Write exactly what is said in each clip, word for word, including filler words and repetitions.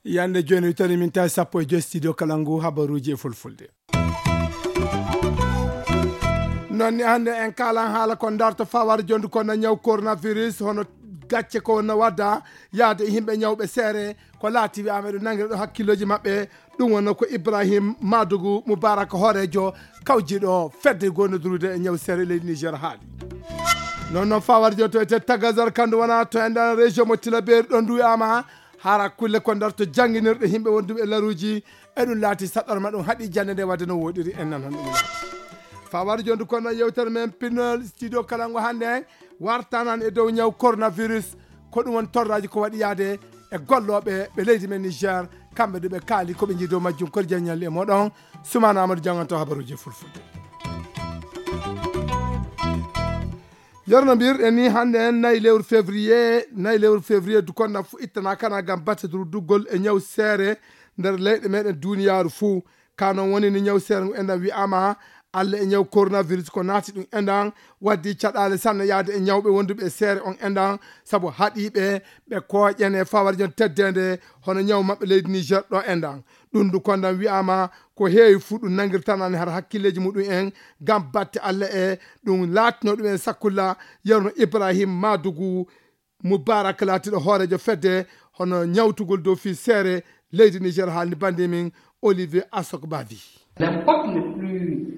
Yande jooni witani min tawi sappo e joy studio kala ngu habaruuji e fulfulde. Noon ni hannde en kaalan haala ko darto fawaade jondu ko na ñaw coronavirus, hono gacce ko wonno wadda yaade e yimɓe ñawɓe seere, ko laati wiyaama eɗo nangira ɗo hakkillooji maɓɓe. Ɗum wonno ko Ibrahim Madugu Mubarak, hooreejo kawjiɗo fedde gondodurude e ñaw seere leydi Niger haali. Noon noon fawaade jondu to ete Tagazar, kandu wona to enɗan région mo Tilaberi, ɗon ndu wiyaama hara kulle ko darto jannginirɗe yimɓe wonduɓe e laruuji, e ɗum laati saɗɗorma, ɗum haɗi jannde nde wadde no woɗiri, en nan hon ɗum laati. Fawaade jondu kono yewtere men pinnol studio kala ngo hannde wartanan e dow ñaw coronavirus, ko ɗum woni torraaji ko waɗi yaade e gollooɓe ɓe leydi men Niger, kamɓe ɗo ɓe kaali ko ɓe njii dow majjum. Kori jaññalli e moɗon, Sumana Amadou jannganto habaruuji e fulfulde. Yerno mbirɗen ni hannde en nayi lewru février, nayi lewru février du kon na fu ittana kana ngam batte durduggol e ñaw seere nder leyɗe meɗen duniyaaru fuu. Ka noon woni ni ñaw seere ngu enɗan wi'aama Allah e ñaw coronavirus ko naati ɗum enɗan waddi caɗaale sanne yaade e ñawɓe wonduɓe e seere on enɗan, sabu haɗiiɓe ɓe kooƴen e fawarjon teddeende hono ñaw maɓɓe leydi Niger ɗo enɗan. Ɗum du kondan wi'aama ko heewi fuu ɗum nangirtanani har hakkilleeji muɗum en ngam batte Allah e ɗum laatino ɗum en sakkulla. Yerno Ibrahim Madugu Mubarak laatiɗo hooreejo fedde hono ñawtugol dow fii seere leydi Niger haalni bandi min Olivier Asok Bavi.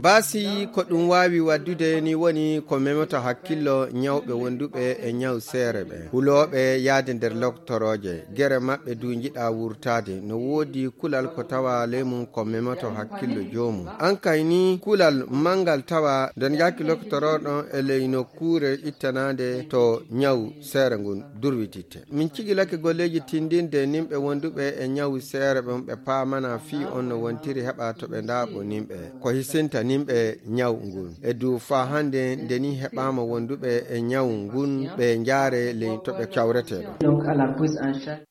Baasi ko ɗum waawi waddude ni woni ko memoto hakkillo ñawɓe wonduɓe e ñaw seere ɓe. Hulooɓe yaade nder loktorooje, gere maɓɓe du njiɗa wurtaade. No woodi kulal ko tawa ley mum ko memoto hakkillo joomum. An kay ni kulal manngal tawa nden yaaki loktorooɗon e ley nokkuure ittanaande to ñaw seere ngun durwititte. Min cigilake golleeji tindinde nimɓe wonduɓe e ñaw seere ɓen ɓe paamana fii on no wontiri heɓa to ɓe ndaaɓo nimɓe. Ko hisinta nimɓe ñaw ngun. E du faa hannde nde ni heɓaama wonduɓe e ñaw ngun ɓe njaare ley to ɓe cawretee ɗo. Donc, à la prise en charge.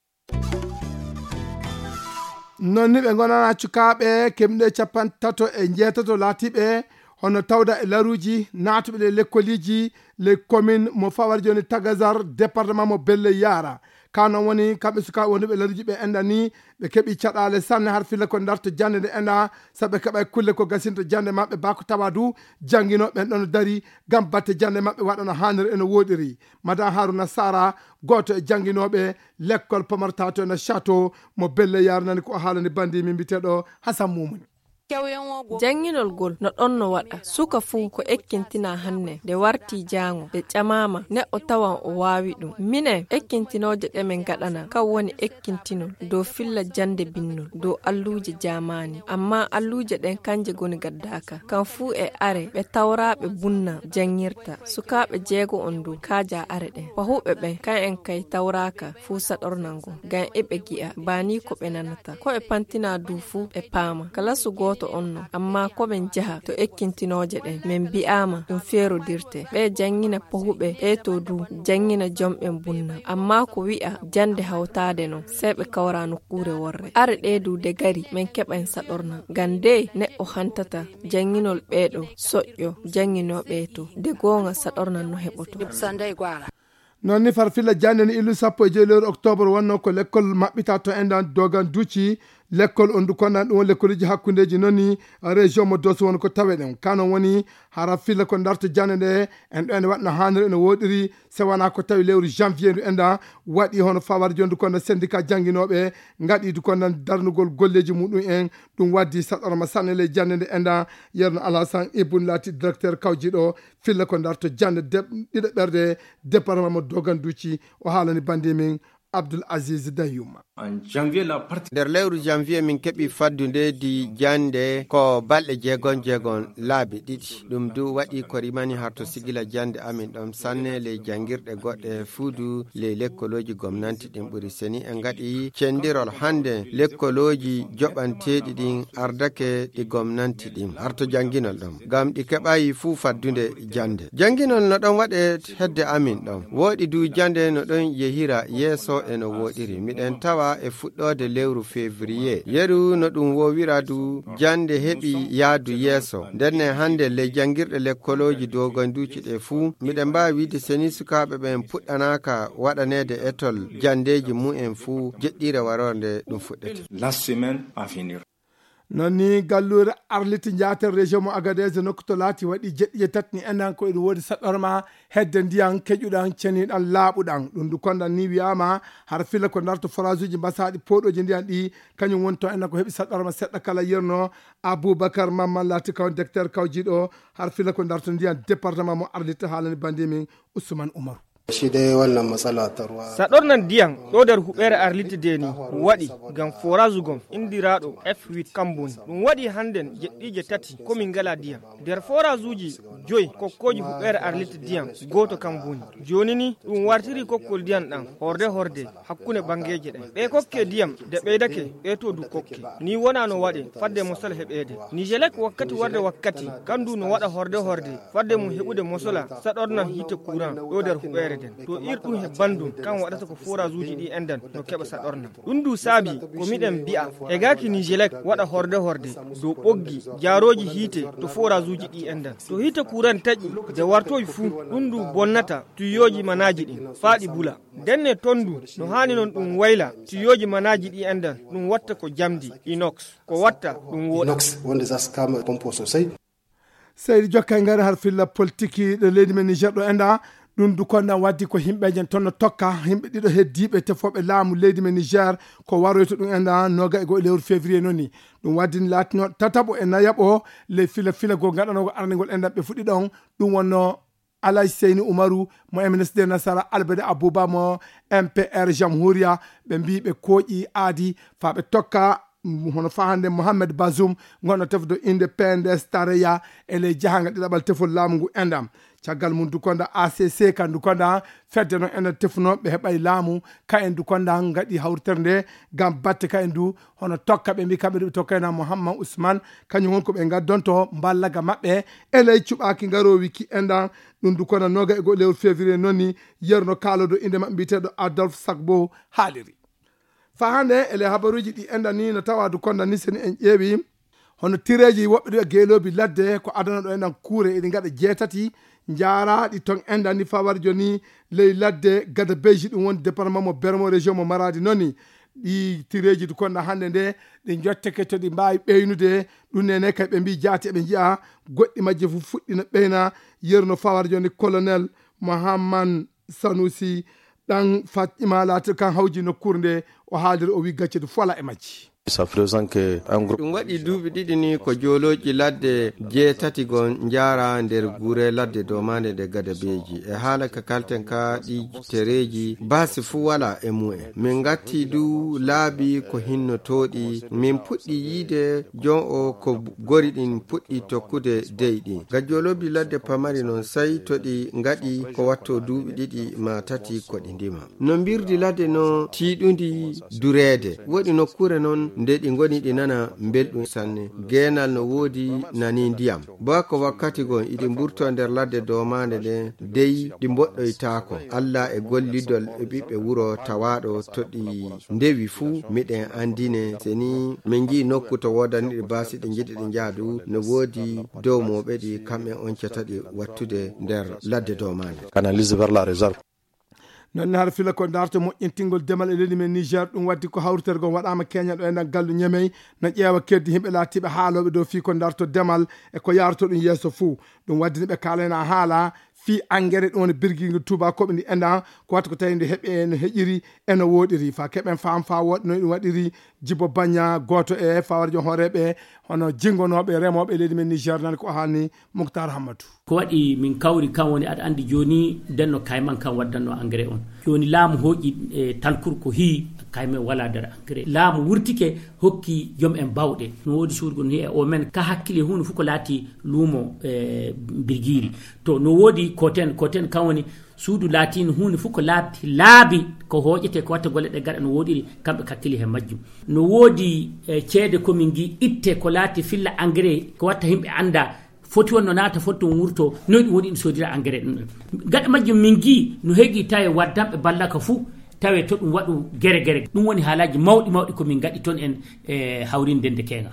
Noon ni ɓe ngonana cukaaɓe keɓnuɓe capanɗe tato e njeetato laatiiɓe hono tawda e laruuji naatuɓe le lekkoliiji le commune mo fawar jooni Tagazar, département mo Belle Yara. Ka noon woni kamɓe sukaaɓe wonduɓe e laruuji ɓe enɗan ni ɓe keɓi caɗaale sanne har filla ko darto jannde nde enɗan, sabu ɓe keɓa kulle ko gasinta jannde maɓɓe bako tawa du jannginooɓe ɓen ɗon dari ngam batte jannde maɓɓe waɗa no haaniri e no woɗiri. Madan Haruna Sara, gooto e jannginooɓe lekkol pamartato e no château mo Belle Yara nani ko o haalani bandi min mbiteɗo Hasan Mumuni. Jannginol ngol no ɗon no waɗa. Suka fuu ko ekkintina hannde, nde warti jaango, nde ƴamaama, neɗɗo tawan o waawi ɗum. Minen, ekkintinooje ɗe min ngaɗana, kan woni ekkintinol dow filla jannde binnol, dow alluuje jaamaani. Ammaa alluuje ɗen kanje ngoni gaddaaka. Kan fuu e are, ɓe tawraaɓe bunna janngirta. Sukaaɓe jeego on dow kaaja are ɗen. Pahuɓe ɓen, kan en kay tawraaka fuu saɗornango, ngam eɓe gi'a, baa nii ko ɓe nanata. Ko ɓe pantina du fuu ɓe paama. Kalasu gooto on no, ammaa ko ɓen jaha to ekkintinooje ɗen, min bi'aama ɗum feerodirte. Ɓe janngina pahuɓe, ɓe to du janngina jom ɓen bunna. Ammaa ko wi'a jannde hawtaade non, sey ɓe kawra nokkuure worre. Are ɗee du de gari, min keɓan saɗorna. Ngam de neɗɗo hantata jannginol ɓee ɗo soƴƴo jannginooɓe to de goonga saɗornan no heɓoto. Noon ni farfilla jannde ni illu sappo e joy lewru octobre wonno ko lekkol maɓɓita to enɗan dogan duci. Lekkol on du konnan ɗum on lekkoliji hakkundeji noon ni région mo Dosso won ko tawe ɗen. Kanon woni hara filla ko darto jannde nde en ɗo ene waɗno haaniri ene woɗiri se wona ko tawi lewru janvier ndu enɗan waɗi hono fawar jondu kono syndicat jannginooɓe ngaɗi du konnan darnugol golleji muɗum en. Ɗum waddi saɗorma sanne ley jannde nde enɗan. Yerno Alasan Ibun laati directeur kawjiɗo filla ko darto jannde ɗiɗo ɓerde département mo Dogan Duci. O haalani bandi min Abdul Aziz Danyuma. Nder lewru janvier min keɓi faddude di jannde ko balɗe jeegon jeegon laabi ɗiɗi. Ɗum du waɗi ko rimani harto sigila jannde amin ɗon sanne ley janngirɗe goɗɗe fuu du ley lekkolooji gomnanti ɗin ɓuri seni. En ngaɗi cenndirol hannde lekkolooji joɓanteeɗi ɗin ardake ɗi gomnanti ɗin harto jannginol ɗon. Ngam ɗi keɓayi fuu faddude jannde. Jannginol no ɗon waɗe hedde amin ɗon. Wooɗi du jannde no ɗon yehira yeeso eno woɗiri. Miɗen tawa e fuɗɗoode lewru février. Yeru no ɗum wowira du jannde heɓi yaadu yeeso. Ndenne hannde ley janngirɗe lekkolooji doganduuji ɗe fuu, miɗen mbaawi wiide seni sukaaɓe ɓen puɗɗanaaka waɗaneede etol janndeeji mumen fuu jeɗɗiire warorde ɗum fuɗɗete. La semaine à venir. Non ni galluure Arlit Njaater région mo Agadez nokku to laati waɗi jeɗɗi e tati ni enɗan ko eɗum woodi saɗɗorma hedde ndiyan keƴuɗan ceniɗan laaɓuɗan. Ɗum du kondan ni wiyaama har fila ko ndarto forage uji mbasaaɗi pooɗooji ndiyan ɗi kañum woni to enɗan ko heɓi saɗɗorma seɗɗa kala yerno. Aboubacar Mamman laati kaw docteur kawjiiɗo har fila ko ndarto ndiyan département mo Arlit haalani bandi min Ousmane Oumarou. Shi dai wannan matsala ta ruwa. Saɗornan ndiyan ɗo nder huɓeere Arlit de ni waɗi ngam forage gom inndiraaɗo F huit kam boni. Ɗum waɗi hannden jeɗɗiije tati ko min ngala ndiyan. Nder forage uji joyi kokkooji huɓeere Arlit ndiyan gooto kam boni. Jooni ni ɗum wartiri kokkol ndiyan ɗan horde horde hakkunde banngeeje ɗen. Ɓe kokke ndiyan de ɓeydake ɓe to du kokke. Ni wona no waɗe fadde mosol heɓeede. Nijelek wakkati warde wakkati kandu no waɗa horde horde fadde mum heɓude mosola saɗornan hiite courant ɗo nder huɓeere nden. To ir ɗum he banndum kan waɗata ko forage uji ɗi enɗan no keɓa saɗornan. Ɗum du saabi ko miɗen mbi'a e gaaki Nijelek waɗa horde horde dow ɓoggi jaarooji hiite to forage uji ɗi enɗan. To hiite courant taƴi de wartoy fuu ɗum du bonnata tuyyooji manaaji ɗin faa ɗi bula. Ndenne ton du no haani non ɗum wayla tuyyooji manaaji ɗi enɗan ɗum watta ko jamdi inox ko watta ɗum wooɗa. Inox wonde za su kama pompo sosai. Seydi jokkay ngari har filla politiki ɗo leydi men Niger ɗo enɗa. Ɗum du konɗan waddi ko himɓeejen ton no tokka himɓe ɗiɗo heddiiɓe tefooɓe laamu leydi men Niger ko waroyto ɗum enɗa noga e goo lewru février noni. Ɗum waddi ni laatino tataɓo e nayaɓo ley fila fila goo gaɗanogo arnigol enɗan ɓe fuɗɗi ɗon. Ɗum wonno Alhaji Seyni Umaru mo M N S D Nasara, Albade Abuba mo M P R Jamhuriya, ɓe mbii ɓe kooƴi aadi faa ɓe tokka, mm, hono faa hannde Mohamed Bazoum ngonɗo tefdo innde P N D S Tareya e ley jahaangal ɗiɗaɓal tefol laamu ngu enɗam. Caggal mum Dukonda A C C kan Dukonda fedde noon enen tefunooɓe ɓe heɓay laamu ka en Dukonda ngaɗi hawritere nde ngam batte ka en du hono tokka ɓe mbii kamɓe du ɓe tokkayna Mohamed Ousmane kañum won ko ɓe ngaddonto mballaga maɓɓe e ley cuɓaaki ngaroowi ki enɗam. Ɗum du kono noga e goɗɗo lewru février noon ni yerno kaalodo innde maɓɓe mbiyeteeɗo Adolphe Sagbo haaliri. Faa hannde e ley habaruuji ɗi enɗan ni no tawa du kondan ni seni en ƴeewi hono tireeji woɓɓe ɗo e geeloobi ladde ko adana ɗo enɗan kuure eɗi ngaɗa jeetati njaaraaɗi ton enɗan ni faa wari jooni ley ladde gada beyji ɗum woni département mo Bermo région mo Maradi noon ni. Ɗi tireeji du kondan hannde nde ɗi njotteke to ɗi mbaawi ɓeynude ɗum nene kay ɓe mbii jaati eɓe njiya goɗɗi majji fof fuɗɗi no ɓeyna yerno faa wari jooni colonel Mohamman Sanusi ɗan Fatima laati kan hawji nokkuure nde o haaliri o wi gacce du fola e majji. Ɗum waɗi duuɓi ɗiɗi ni ko joolooji ladde jeetati gon njaara nder gure ladde domaande ɗe gadabeeji e haala ka kalten ka ɗi tereeji baasi fuu wala e mu'en. Min ngatti du laabi ko hinnotooɗi min puɗɗi yiide jon o ko gori ɗin puɗɗi tokkude dey ɗin. Ga joolooji ladde pamari non sey to ɗi ngaɗi ko watto duuɓi ɗiɗi maa tati ko ɗi ndima. No mbirdi ladde no tiiɗundi dureede. Woɗi nokkuure non nde ɗi ngoni ɗi nana mbelɗum sanne. Geenal no woodi nani ndiyam. Bako wakkati gon iɗi mburto nder ladde domaande nde dey ɗi mboɗɗoytaako. Alla e gollidol e ɓiɓɓe wuro tawaaɗo to ɗi ndewi fuu miɗen anndine seni min nji nokku to woodani ɗi baasi ɗi njiɗi ɗi njaadu no woodi dow mooɓe ɗi kamɓe on cata ɗi wattude nder ladde domaande. Analyse vers la réserve. Noon ne hara fila ko darto moƴƴintingol demal e leydi men Niger ɗum waddi ko hawritergol waɗaama keñal ɗo e nder gallu Ñemey no ƴeewa keddi yimɓe laatiiɓe haalooɓe dow fii ko darto demal e ko yaarto ɗum yeeso fuu. Ɗum waddi ne ɓe kaalayna haala fii angere ɗum woni birgiingo tuubakooɓe ndi enɗan ko watta ko tawi nde heɓe no heƴiri e no wooɗiri faa keɓen faam faa wooɗi no ɗum waɗiri. Jibo Baña gooto e fawarjo hooreeɓe hono jingonooɓe remooɓe leydi men Niger nan ko haalni Muktar Hammatu. Ko waɗi min kawri kan woni aɗa anndi jooni ndenno kayman kan waddanno engrais on. Jooni laamu hooƴi e talkur ko hii kayman wala nder engrais. Laamu wurtike hokki jom en bawɗe. No woodi suudu gon hii e o men ka hakkile huunde fof ko laati luumo e birgiiri. To no woodi koten, koten kan woni suudu laatiino huunde fof ko laabi, laabi ko hooƴete ko watta golle ɗe gaɗa no wooɗiri kamɓe kakkili he majjum. No woodi e ceede ko min ngi itte ko laati filla engrais ko watta yimɓe annda foti wonno naata foti toon wurto noy ɗum woni ɗum soodira engrais ɗum ɗon. Gaɗa majjum min ngi no heegi tawi waddanɓe ballaka fuu Tawe to ɗum waɗu gere gere. Ɗum woni haalaaji mawɗi mawɗi ko min ngaɗi toon en e hawrinde nde keeŋa.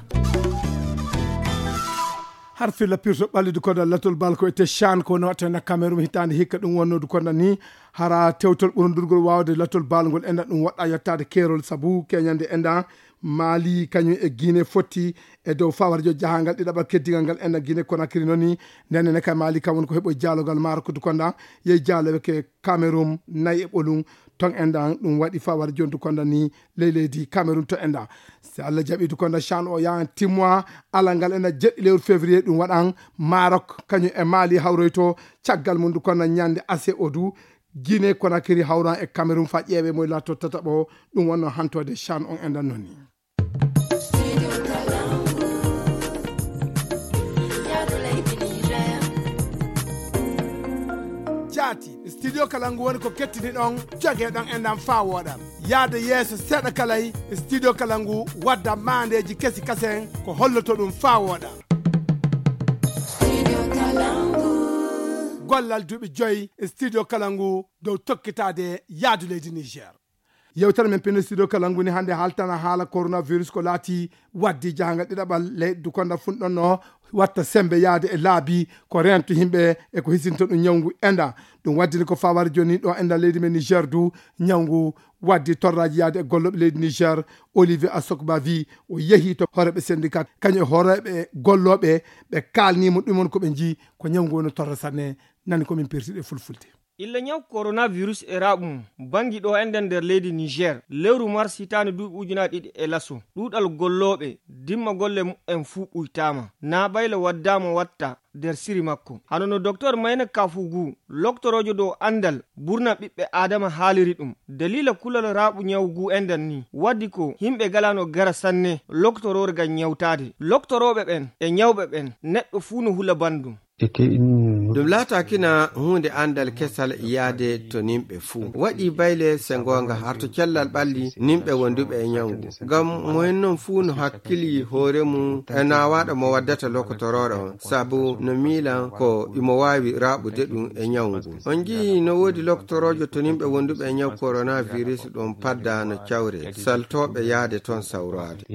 Har filla pirto ɓallidu kono latol bal ko e Teshan ko no watta na Cameroun hitaande hikka ɗum wonnodu kono ni hara tewtol ɓurundurgol waawde latol bal ngol enda ɗum waɗa yottaade keerol sabu keñande enda Mali kañum e Guinée fotti e dow fawarjo jahangal ɗiɗaɓal keddigal ngal enda Guinée Conakry noni. Nden ne ka Mali kam woni ko heɓo jaalogal maaro ko dukonda yehi jaaloɓe ke Cameroun nayi e ɓolum ton enda ɗum waɗi fawar jondu konda ni ley leydi Cameroun to enda. Si Allah jaɓi du konda Chan o yahan timmoa alal ngal ena jeɗɗi lewru février ɗum waɗan Maroc kañum e Mali hawroyto caggal mum du konda ñande ase o du Guinée Conakry hawran e Cameroun fa ƴeewe moy latto tataɓo. Ɗum wonno hantode Chan on enda noni. Jaati studio kala ngu woni ko kettini ɗon joge ɗon e ndam faa wooɗa. Yaade yeeso seeɗa kalay studio kala ngu wadda maandeeji kesi kasen ko holloto ɗum faa wooɗa. Gollal duuɓi joyi studio kala ngu dow tokkitaade yaadu leydi Niger. Yewtere men pino studio kala ngu ni hannde haaltana haala coronavirus ko laati waddi jahangal ɗiɗaɓal leyɗe du konda funɗonno watta sembe yaade e laabi ko rento yimɓe e ko hisinto ɗum ñawngu enda. Ɗum waddini ko fawari joni ɗo enda leydi men Niger du ñawngu waddi torraji yaade e golloɓe leydi Niger. Olivier Asokba wi o yehi to horeɓe syndicat kañum e horeɓe golloɓe ɓe kalnimo ɗum on ko ɓe jii ko ñawngu woni torra sanne. Nani komin persiɗe fulfulde. Illa ñaw coronavirus e raaɓu mum banngi ɗo enɗen nder leydi Niger lewru mars hitaande duuɓi ujunaaji ɗiɗi e laso ɗuuɗal gollooɓe dimma golle mumen fuu ɓuytaama naa bayla waddaama watta nder siri makko. Hano no doktor Mayna Kafugu loktoroojo dow anndal burna ɓiɓɓe aadama haaliri ɗum daliila kulal raaɓu ñaw ngu enɗen ni waddi ko yimɓe galano gara sanne loktoroore ngam ñawtaade loktorooɓe ɓen e ñawɓe ɓen neɗɗo fuu no hula banndum. Ɗum laataakina huunde anndal kesal yaade to nimɓe fuu waɗi bayle se ngoonga har to cellal ɓalli nimɓe wonduɓe e ñawngu. Ngam mo en non fuu no hakkili hoore mum e naawaaɗo mo waddata lokotorooɗo on sabu no miilan ko imo waawi raaɓude ɗum e ñawngu. On njiyi no woodi lokotoroojo to nimɓe wonduɓe e ñaw coronavirus ɗum padda no cawre saltooɓe yaade toon sawraade.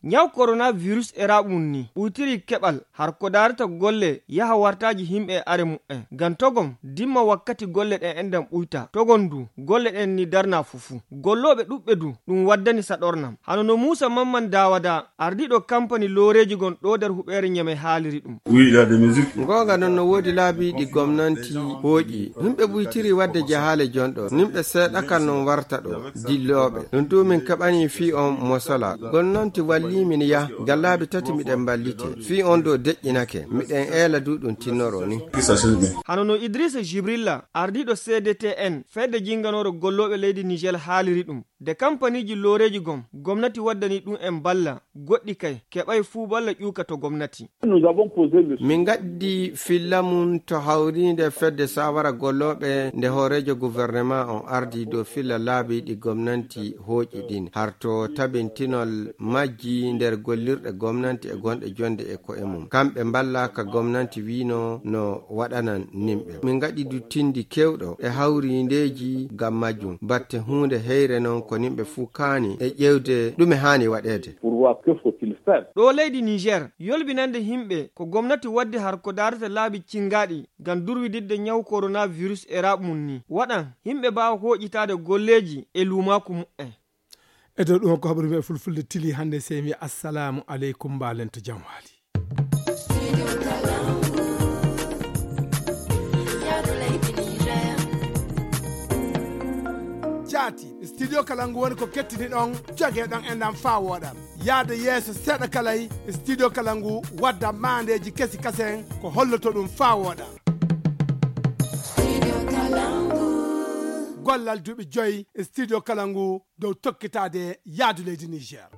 Ñaw coronavirus e raaɓu mum ni ɓuytiri keɓal har ko daarata golle yaha wartaaji himɓe e are mumen ngam togom dimma wakkati golle ɗen enɗan ɓuyta togon du golle ɗen ni darna fufu gollooɓe ɗuɓɓe du ɗum waddani saɗornam hano no muusa mamman dawada ardiɗo kampani looreeji gon ɗo nder huɓeere ñame haaliri ɗum. Ngoonga non no woodi laabi ɗi gomnanti hooƴi yimɓe ɓuytiri wadde jahaale jonɗo nimɓe seeɗakal non warta ɗo dillooɓe ɗum du min kaɓani fii on mo sola gomnanti walli min yah ngam laabi tati miɗen mballite fii on ɗo deƴƴinake miɗen eela du ɗum tinnoroo ni. Hano no Idrissa Jibrilla ardiiɗo C D T N fedde jinnganoore gollooɓe leydi Niger haaliri ɗum nde kampaniiji looreeji gom gomnati waddani ɗum en balla goɗɗi kay keɓay fuu balla ƴuuka to gomnati. Min ngaddi filla mum to hawriinde fedde sawara gollooɓe nde hooreejo gouvernement on ardii dow filla laabi ɗi gomnanti hooƴi ɗin har to tabintinol majji nder gollirɗe gomnanti e gonɗe jonde e ko'e mum kamɓe mballa ka gomnanti wiino no waɗanan nimɓe min ngaɗi duttindi kewɗo e hawriindeeji ngam majjum batte huunde heyre non ko nimɓe fuu kaani e ƴeewde ɗume haani waɗeede. Ɗo leydi Niger yolbinande yimɓe ko gomnati waddi har ko daarata laabi cinngaaɗi ngam durwididde ñaw coronavirus e raaɓu mum ni waɗan yimɓe mbaawa hooƴitaade golleeji e luumaaku mumen. E dow ɗum ko habaru men fulfulde tili hannde sey mi assalamu aleykum mbaalen to jam waali. Jaati studio kala ngu woni ko kettini ɗon joge ɗon e ndam faa wooɗa yaade yeeso seeɗa kalay studio kala ngu wadda maandeeji kesi kasen ko holloto ɗum faa wooɗa. Gollal duuɓi joyi studio kala ngu dow tokkitaade yaadu leydi Niger.